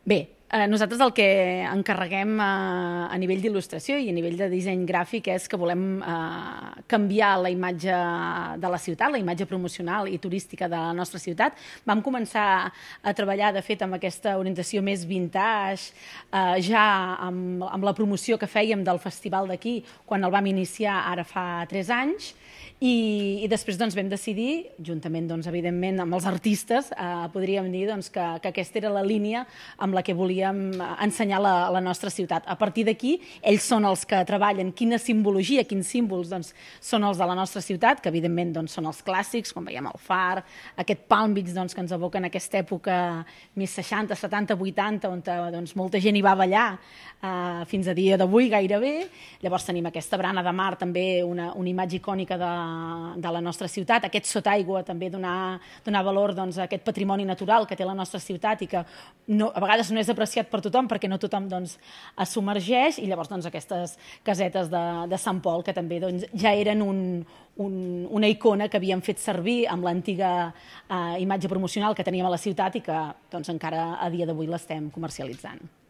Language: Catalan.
Bé, nosaltres el que encarreguem a nivell d'il·lustració i a nivell de disseny gràfic és que volem canviar la imatge de la ciutat, la imatge promocional i turística de la nostra ciutat. Vam començar a treballar, de fet, amb aquesta orientació més vintage, ja amb la promoció que fèiem del festival d'aquí, quan el vam iniciar ara fa 3 anys, i després vam decidir, juntament, evidentment, amb els artistes, podríem dir que aquesta era la línia amb la que volíem ensenyar la nostra ciutat. A partir d'aquí, ells són els que treballen quina simbologia, quins símbols són els de la nostra ciutat, que evidentment són els clàssics, com veiem el Far, aquest Palm Beach que ens evoquen aquesta època més 60, 70, 80, on molta gent hi va ballar fins a dia d'avui gairebé. Llavors tenim aquesta barana de mar, també una imatge icònica de la nostra ciutat, aquest sotaigua també donar valor a aquest patrimoni natural que té la nostra ciutat i que a vegades no és apreciat per tothom perquè no tothom es submergeix, i llavors aquestes casetes de Sant Pol que també ja eren una icona que havíem fet servir amb l'antiga imatge promocional que teníem a la ciutat i que encara a dia d'avui l'estem comercialitzant.